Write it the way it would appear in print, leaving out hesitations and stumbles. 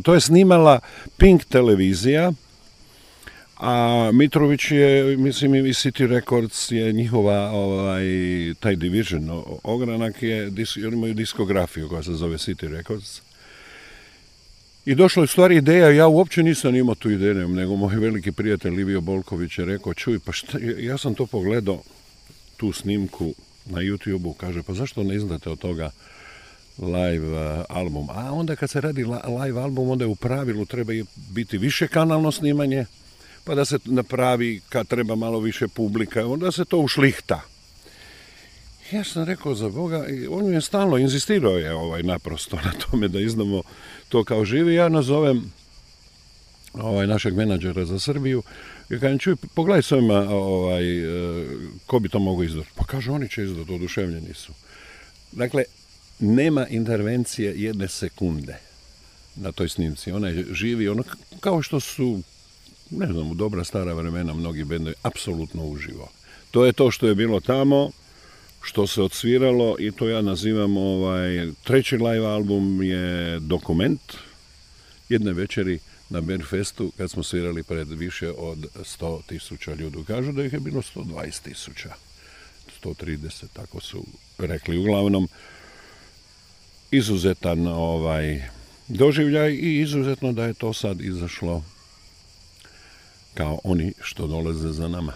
To je snimala Pink televizija, a Mitrović je, mislim, i City Records je njihova, taj division, ogranak je, oni imaju diskografiju koja se zove City Records. I došla je u stvari ideja, ja uopće nisam imao tu ideju, nego moj veliki prijatelj Livio Bolković je rekao, čuj, pa šta, ja sam to pogledao, tu snimku na YouTube-u, kaže, pa zašto ne izdate od toga live album? A onda kad se radi live album, onda je u pravilu treba biti više kanalno snimanje, pa da se napravi kad treba malo više publika, onda se to ušlihta. Ja sam rekao, za Boga, on je stalno insistirao je naprosto na tome da izdamo to kao živi. Ja nazovem našeg menadžera za Srbiju i kažem, čuj, pogledaj s ovima ko bi to mogo izdati. Pa kaže, oni će izdati, oduševljeni su. Dakle, nema intervencije jedne sekunde na toj snimci. Ona je živi, ono kao što su, ne znam, u dobra stara vremena mnogi bendovi, apsolutno uživo. To je to što je bilo tamo, što se odsviralo i to ja nazivam, treći live album je dokument jedne večeri na Beerfestu kad smo svirali pred više od 100.000 ljudi. Kažu da ih je bilo 120.000, 130, tako su rekli. Uglavnom, izuzetan doživljaj i izuzetno da je to sad izašlo kao oni što dolaze za nama.